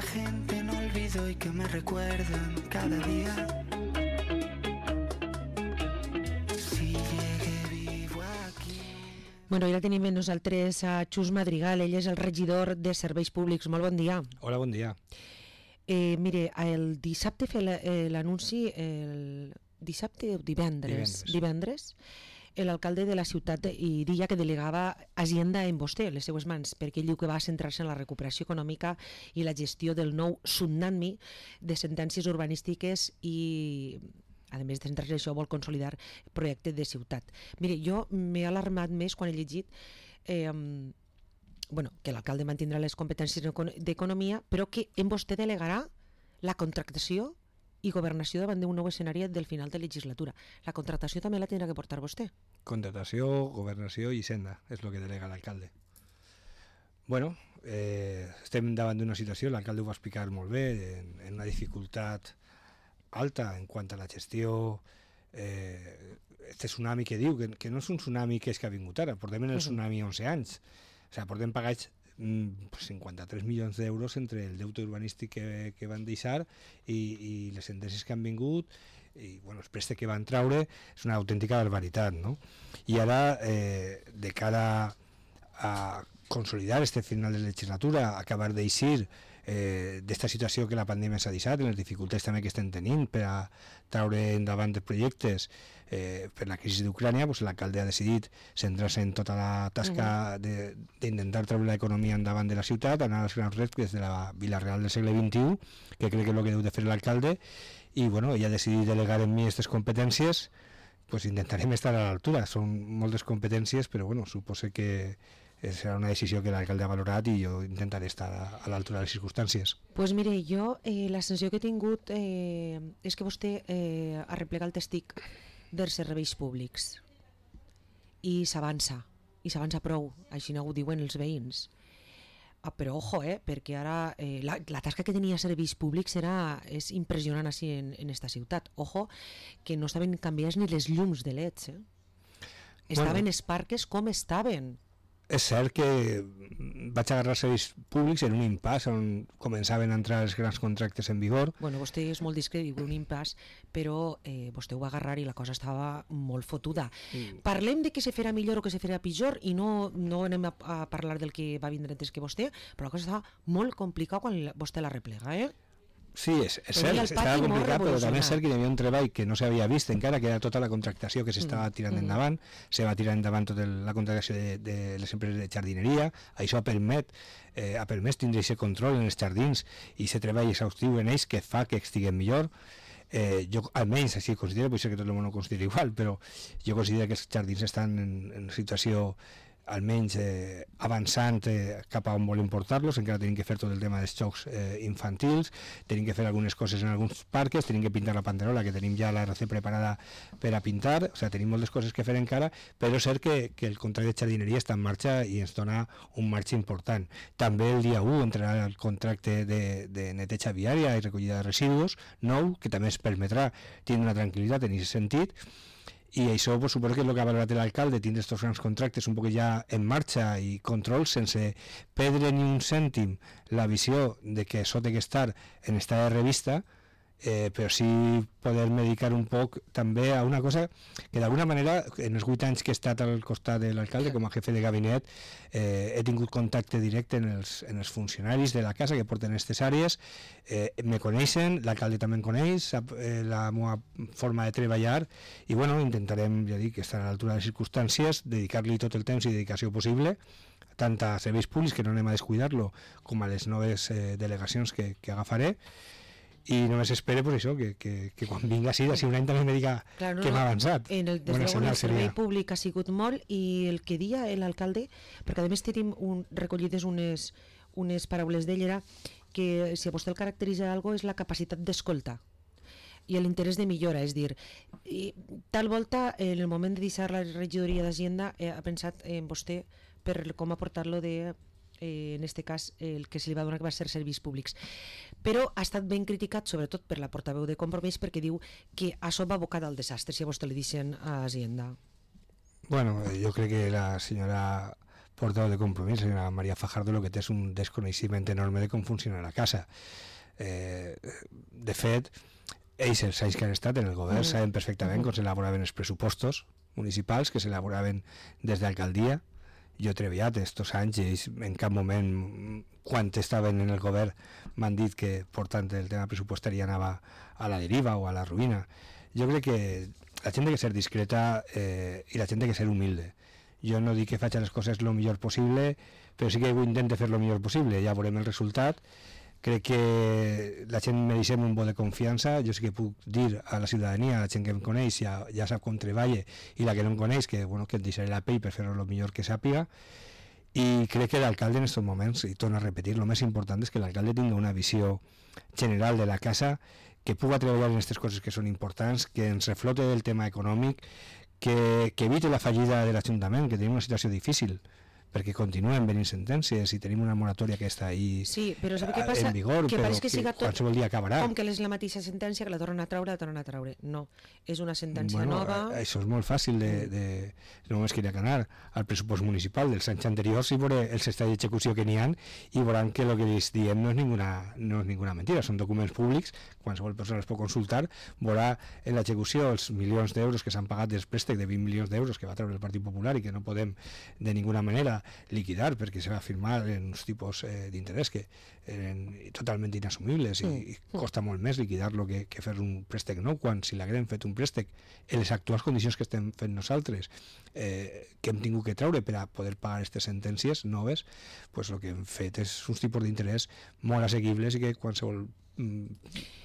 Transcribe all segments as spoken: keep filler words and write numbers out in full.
gente no olvido y que me recuerdan cada día. Si llegué vivo aquí. Bueno, ja tenim amb nosaltres a Xus Madrigal, ell és el regidor de Serveis Públics. Molt bon dia. Hola, bon dia. Eh, mire, el dissabte fer l'anunci, el dissabte o divendres, divendres, divendres l'alcalde de la ciutat i dia que delegava Hacienda en vostè, les seues mans, perquè ell diu que va centrar-se en la recuperació econòmica i la gestió del nou tsunami de sentències urbanístiques i, a més de centrar-se en això, vol consolidar projecte de ciutat. Mire, jo m'he alarmat més quan he llegit eh, bueno, que l'alcalde mantindrà les competències d'economia, però que en vostè delegarà la contractació i governació davant d'un nou escenari del final de legislatura. La contractació també la tindrà que portar vostè. Contratació, governació i senda, és el que delega l'alcalde. Bueno, eh, estem davant d'una situació, l'alcalde ho va explicar molt bé, en, en una dificultat alta en quant a la gestió, eh, este tsunami que diu, que, que no és un tsunami que és que ha vingut ara, portem en el tsunami onze anys, o sigui, portem pagats cinquanta-tres milions d'euros entre el deute urbanístic que, que van deixar i, i les sentències que han vingut i bueno, els préstecs que van traure és una autèntica barbaritat, no? I ara, eh, de cara a consolidar este final de legislatura, acabar d'eixir eh, d'esta situació que la pandèmia s'ha deixat, en les dificultats també que estem tenint per a traure endavant els projectes eh, per la crisi d'Ucrània, pues, l'alcalde ha decidit centrar-se en tota la tasca d'intentar treure l'economia endavant de la ciutat, anar als grans reptes de la Vila Real del segle vint-i-u, que crec que és el que deu de fer l'alcalde, i bueno, ell ha decidit delegar en mi aquestes competències, pues intentarem estar a l'altura. Són moltes competències, però bueno, suposo que serà una decisió que l'alcalde ha valorat i jo intentaré estar a l'altura de les circumstàncies. Pues mire, jo eh, la sensació que he tingut eh, és que vostè eh, ha replegat el testic dels serveis públics i s'avança, i s'avança prou, així no ho diuen els veïns. Ah, però ojo, eh, perquè ara eh, la, la tasca que tenia serveis públics era, és impressionant així en, en esta ciutat. Ojo, que no estaven canviats ni les llums de leds, eh? Estaven els parques com estaven. És cert que vaig agarrar serveis públics en un impàs on començaven a entrar els grans contractes en vigor. Bueno, vostè és molt discret, diu un impàs, però eh, vostè ho va agarrar i la cosa estava molt fotuda. Mm. Parlem de què se farà millor o què se farà pitjor i no, no anem a, a parlar del que va vindre antes que vostè, però la cosa estava molt complicada quan vostè la replega, eh? Sí, és, és cert, estava complicat, però també és cert que hi havia un treball que no s'havia vist encara, que era tota la contractació que s'estava tirant mm. endavant, se va tirar endavant tota la contractació de, de les empreses de jardineria, això permet, eh, ha permès tindre aquest control en els jardins i aquest treball exhaustiu en ells que fa que estiguem millor. Eh, jo almenys així considero, potser que tot el món ho considera igual, però jo considero que els jardins estan en, en una situació almenys eh, avançant eh, cap a on volem portar-los. Encara tenim que fer tot el tema dels jocs eh, infantils, tenim que fer algunes coses en alguns parques, tenim que pintar la panderola, que tenim ja la R C preparada per a pintar, o sigui, tenim moltes coses que fer encara, però és cert que, que el contracte de jardineria està en marxa i ens dona un marge important. També el dia u entrarà el contracte de, de neteja viària i recollida de residus nou, que també ens permetrà tindre una tranquil·litat en aquest sentit. I això pues, suposo que és el que ha valorat l'alcalde, tindre aquests grans contractes un poc ja en marxa i control sense perdre ni un cèntim la visió de que això té que estar en estat de revista, eh, però sí poder dedicar un poc també a una cosa que d'alguna manera en els vuit anys que he estat al costat de l'alcalde com a jefe de gabinet eh, he tingut contacte directe en els, en els funcionaris de la casa que porten aquestes àrees, eh, me coneixen, l'alcalde també em coneix, sap eh, la meva forma de treballar i bueno, intentarem, ja dic, estar a l'altura de les circumstàncies, dedicar-li tot el temps i dedicació possible tant a serveis públics, que no anem a descuidar-lo, com a les noves eh, delegacions que, que agafaré. I només espero pues, això, que, que, que quan vinga així, d'ací un any també me diga claro, no, que m'ha avançat. En el, des de el servei públic ha sigut molt i el que dia l'alcalde, perquè a més tenim un, recollides unes, unes paraules d'ell, era que si a vostè el caracteritza algo és la capacitat d'escoltar i l'interès de millora, és dir, i, tal volta en el moment de deixar la regidoria d'Hacienda eh, ha pensat en vostè per com aportar-lo de eh, en este cas el que se li va donar que va ser serveis públics, però ha estat ben criticat sobretot per la portaveu de Compromís perquè diu que això va abocar al desastre si a vostè li deixen a Hacienda. Bueno, jo crec que la senyora portaveu de Compromís, la senyora Maria Fajardo, el que té és un desconeixement enorme de com funciona la casa. Eh, de fet, ells, els anys que han estat en el govern, saben perfectament com s'elaboraven els pressupostos municipals, que s'elaboraven des d'alcaldia. Jo he treballat estos anys i ells en cap moment, quan estaven en el govern, m'han dit que portant el tema pressupostari anava a la deriva o a la ruïna. Jo crec que la gent ha de ser discreta eh, i la gent ha de ser humilde. Jo no dic que faig les coses el millor possible, però sí que intento fer el millor possible. Ja veurem el resultat. Crec que la gent mereixem un bo de confiança. Jo sí que puc dir a la ciutadania, a la gent que em coneix, ja, ja sap com treballa, i la que no em coneix, que, bueno, que et deixaré la pell per fer-ho el millor que sàpiga. I crec que l'alcalde en aquests moments, i torno a repetir, el més important és que l'alcalde tingui una visió general de la casa, que puga treballar en aquestes coses que són importants, que ens reflote el tema econòmic, que, que evite la fallida de l'Ajuntament, que tenim una situació difícil, perquè continuen venint sentències i tenim una moratòria que està ahí sí, però sabe què passa? en vigor, que però que, que tot, qualsevol dia acabarà. Com que és la mateixa sentència, que la tornen a traure, la tornen a traure. No, és una sentència bueno, nova. Això és molt fàcil de... de només queria anar al pressupost municipal dels anys anteriors i veure els estats d'execució que n'hi ha i veuran que el que els diem no és ninguna, no és ninguna mentira, són documents públics, qualsevol persona els pot consultar, veurà en l'execució els milions d'euros que s'han pagat dels préstecs de vint milions d'euros que va treure el Partit Popular i que no podem de ninguna manera liquidar perquè se va firmar en uns tipus eh, d'interès que eren totalment inassumibles i, i costa molt més liquidar-lo que, que fer un préstec nou, quan si l'haguem fet un préstec en les actuals condicions que estem fent nosaltres, eh, que hem tingut que treure per a poder pagar aquestes sentències noves, pues el que hem fet és uns tipus d'interès molt assequibles i que qualsevol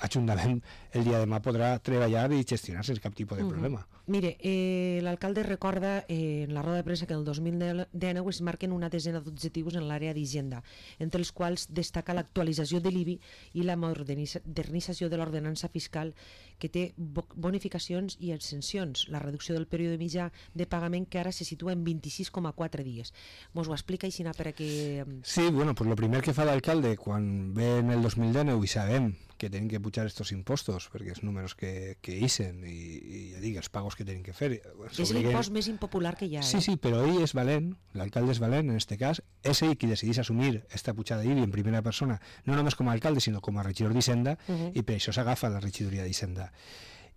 Ajuntament el dia de demà podrà treballar i gestionar sense cap tipus de problema. Uh-huh. Mire, eh, l'alcalde recorda eh, en la roda de premsa que el dos mil dinou es marquen una desena d'objectius en l'àrea d'Hisenda, entre els quals destaca l'actualització de l'I B I i la modernització de l'ordenança fiscal, que té bonificacions i exencions, la reducció del període mitjà de pagament, que ara se situa en vint-i-sis coma quatre dies. Mos ho explica així per a que... Sí, bueno, pues lo primer que fa l'alcalde quan ve en el dos mil dinou i sabem que tenen que pujar estos impostos perquè els números que, que ixen i, i ja dic, els pagos que tenen que fer és l'impost més impopular que hi ha, eh? Sí, sí, però ell és valent, l'alcalde és valent en este cas, és ell qui decideix assumir esta pujada d'I B I en primera persona, no només com a alcalde sinó com a regidor d'Hisenda, uh-huh. i per això s'agafa la regidoria d'Hisenda.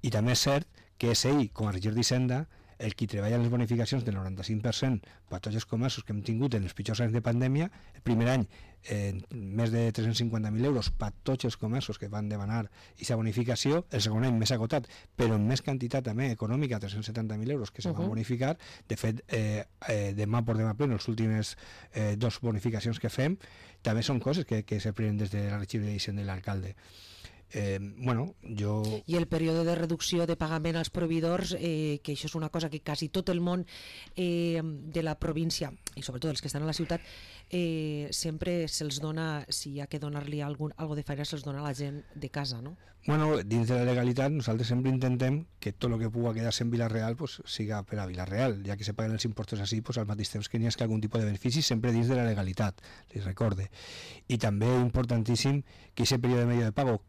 I també és cert que és ell com a regidor d'Hisenda el qui treballa en les bonificacions del noranta-cinc per cent per tots els comerços que hem tingut en els pitjors anys de pandèmia. El primer any eh, més de tres-cents cinquanta mil euros per tots els comerços que van demanar aquesta bonificació, el segon any més acotat però en més quantitat també econòmica, tres-cents setanta mil euros que se van uh-huh. bonificar. De fet, eh, eh, demà por demà pleno, les últimes eh, dos bonificacions que fem també són coses que, que se prenen des de la regidoria d'Hisenda i l'alcalde. Eh, bueno, jo... I el període de reducció de pagament als proveïdors, eh, que això és una cosa que quasi tot el món eh, de la província, i sobretot els que estan a la ciutat, eh, sempre se'ls dona, si hi ha que donar-li algun, algo de feina, se'ls dona a la gent de casa, no? Bueno, dins de la legalitat nosaltres sempre intentem que tot el que pugui quedar-se en Vila-real pues, siga per a Vila-real, ja que se paguen els impostos així, pues, al mateix temps que n'hi ha algun tipus de benefici sempre dins de la legalitat, li recorde. I també importantíssim que aquest període de medio de pago,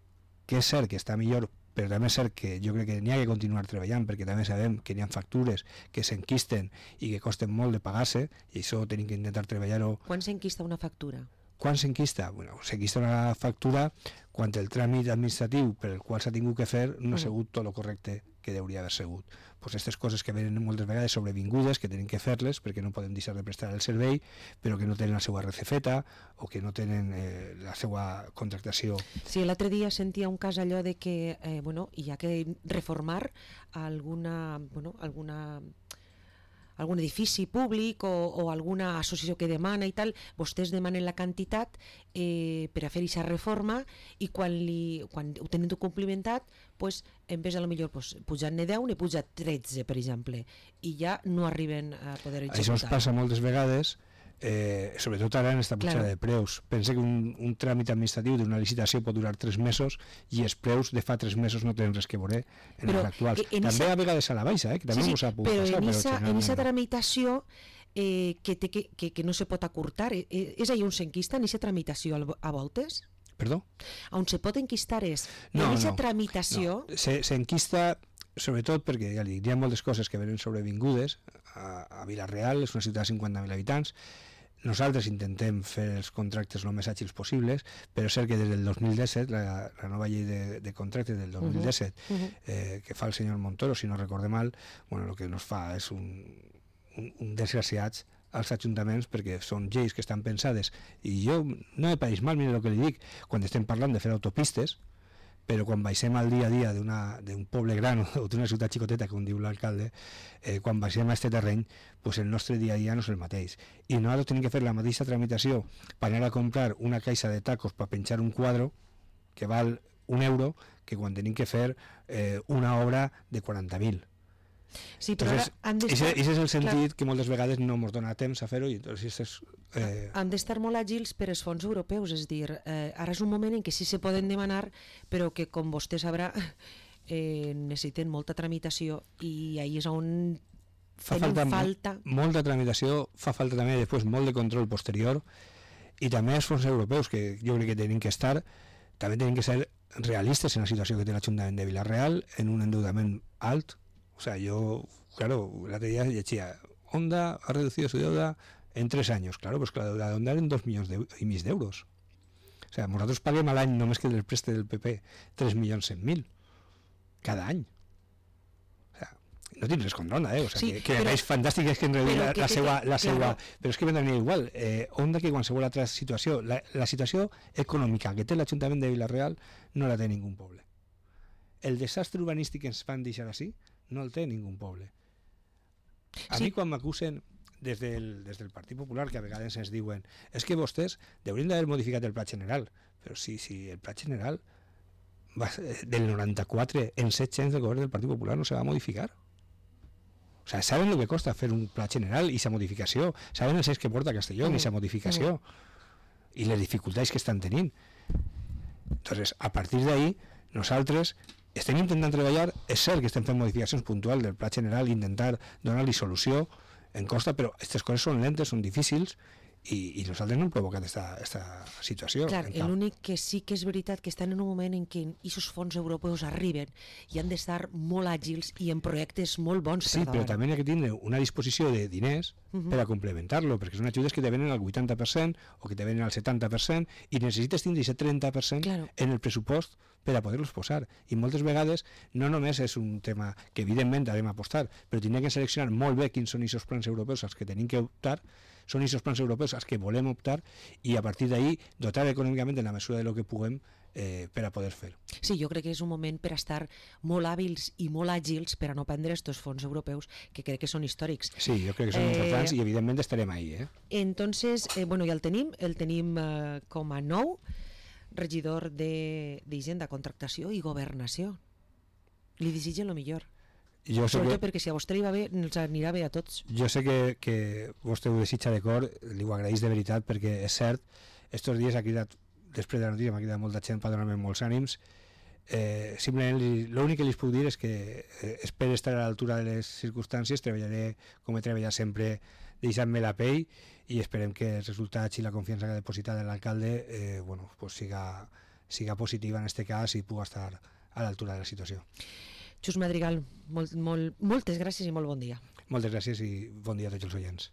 que és cert que està millor, però també és cert que jo crec que n'hi ha que continuar treballant, perquè també sabem que n'hi ha factures que s'enquisten i que costen molt de pagar-se, i això tenim que intentar treballar-ho. Quan s'enquista una factura? Quan s'enquista? Bueno, s'enquista una factura quan el tràmit administratiu per el qual s'ha tingut que fer no ha sigut tot el correcte que hauria d'haver sigut. Pues aquestes coses que venen moltes vegades sobrevingudes, que tenen que fer-les perquè no podem deixar de prestar el servei, però que no tenen la seva R C feta o que no tenen eh, la seva contractació. Sí, l'altre dia sentia un cas allò de que eh, bueno, hi ha que reformar alguna, bueno, alguna algun edifici públic o, o alguna associació que demana i tal, vostès demanen la quantitat eh, per a fer aquesta reforma i quan, li, quan ho tenen complimentat, pues, en vez de millor pues, pujar-ne deu, ne puja tretze, per exemple, i ja no arriben a poder executar. Això ens passa moltes vegades, eh, sobretot ara en esta pujada claro. de preus. Pensa que un, un tràmit administratiu d'una licitació pot durar tres mesos i els preus de fa tres mesos no tenen res que veure en però els actuals. En també esa... a vegades a la baixa, eh, que també sí, sí, s'ha pogut però passar. En esa, però en aquesta tramitació eh, que, té, que, que, que no se pot acurtar, eh, és allà on s'enquista en aquesta tramitació a voltes? Perdó? On se pot enquistar és no, en aquesta no, tramitació... No. Se, s'enquista sobretot perquè ja dic, hi ha moltes coses que venen sobrevingudes. A, a Vila-real és una ciutat de cinquanta mil habitants. Nosaltres intentem fer els contractes el més àgils possibles, però és cert que des del dos mil disset, la, la nova llei de, de contractes del dos mil disset, uh -huh. eh, que fa el senyor Montoro, si no recorde mal, bueno, el que nos fa és un, un, un desgraciats als ajuntaments, perquè són lleis que estan pensades, i jo no me pareix mal, mira el que li dic, quan estem parlant de fer autopistes, però quan baixem al dia a dia d'un poble gran o d'una ciutat xicoteta, com diu l'alcalde, eh, quan baixem a aquest terreny, pues el nostre dia a dia no és el mateix. I nosaltres tenim que fer la mateixa tramitació per anar a comprar una caixa de tacos per penjar un quadre que val un euro que quan tenim que fer eh, una obra de quaranta mil. Sí, però entonces, ara han d'estar... Aquest és el sentit clar, que moltes vegades no ens dona temps a fer-ho i entonces és... Eh... Han d'estar molt àgils per als fons europeus, és dir, eh, ara és un moment en què sí se poden demanar, però que com vostè sabrà eh, necessiten molta tramitació i ahí és on fa falta, falta molta tramitació, fa falta també després molt de control posterior i també els fons europeus que jo crec que tenen que estar, també tenen que ser realistes en la situació que té l'Ajuntament de Vila-real, en un endeudament alt. O sea, yo, claro, la teoría decía, Honda ha reducido su deuda en tres años. Claro, pues la deuda de Honda en dos millones de, y mis de euros. O sea, nosotros paguem a l'any, només que del preste del P P, tres milions cent mil cada any. O sea, no tens res contra Honda, eh? O sea, sí, que, que però, és fantàstic és que en reduï la, la seua... La seua claro. Però és que vendrà igual. Eh, Honda que qualsevol altra situació. La, la situació econòmica que té l'Ajuntament de Vila-real no la té ningú poble. El desastre urbanístic que ens van deixar així no el té ningú poble. A sí. mi quan m'acusen des del, des del Partit Popular, que a vegades ens diuen és que vostès haurien d'haver modificat el Pla General, però sí, sí, el Pla General va, del noranta-quatre en set anys del govern del Partit Popular no se va modificar. O sea, saben el que costa fer un Pla General i sa modificació, saben els anys que porta Castelló i sa modificació i les dificultats que estan tenint. Entonces, a partir d'ahí, nosaltres estem intentant treballar, és cert que estem fent modificacions puntuals del Pla General, intentar donar-li solució en costa, però aquestes coses són lentes, són difícils i, i nosaltres no hem provocat aquesta situació. Clar, l'únic que sí que és veritat que estan en un moment en què aquests fons europeus arriben i han d'estar molt àgils i en projectes molt bons. Sí, però també hi ha que tindre una disposició de diners uh -huh. per a complementar-lo, perquè són ajudes que te venen al vuitanta per cent o que te venen al setanta per cent i necessites tindre aquest trenta per cent claro. en el pressupost per a poder-los posar. I moltes vegades no només és un tema que evidentment hem d'apostar, però tindrem que seleccionar molt bé quins són aquests plans europeus als que tenim que optar, són aquests plans europeus als que volem optar i a partir d'ahí dotar econòmicament en la mesura de lo que puguem eh, per a poder fer. Sí, jo crec que és un moment per a estar molt hàbils i molt àgils per a no prendre aquests fons europeus que crec que són històrics. Sí, jo crec que són eh, importants i evidentment estarem ahí. Eh? Entonces, eh, bueno, ja el tenim, el tenim eh, com a nou regidor d'Hisenda, Contractació i Governació. Li desitge el millor. Jo sé Sobretot que, perquè si a vostè li va bé, ens anirà bé a tots. Jo sé que, que vostè ho desitja de cor, li ho agraeix de veritat, perquè és cert, estos dies ha cridat, després de la notícia m'ha cridat molta gent per donar-me molts ànims. Eh, simplement l'únic que li puc dir és que eh, espero estar a l'altura de les circumstàncies, treballaré com he treballat sempre, deixant-me la pell i esperem que els resultats i la confiança que ha depositat l'alcalde eh, bueno, pues siga, siga positiva en aquest cas i pugui estar a l'altura de la situació. Xus Madrigal, molt, molt, moltes gràcies i molt bon dia. Moltes gràcies i bon dia a tots els oients.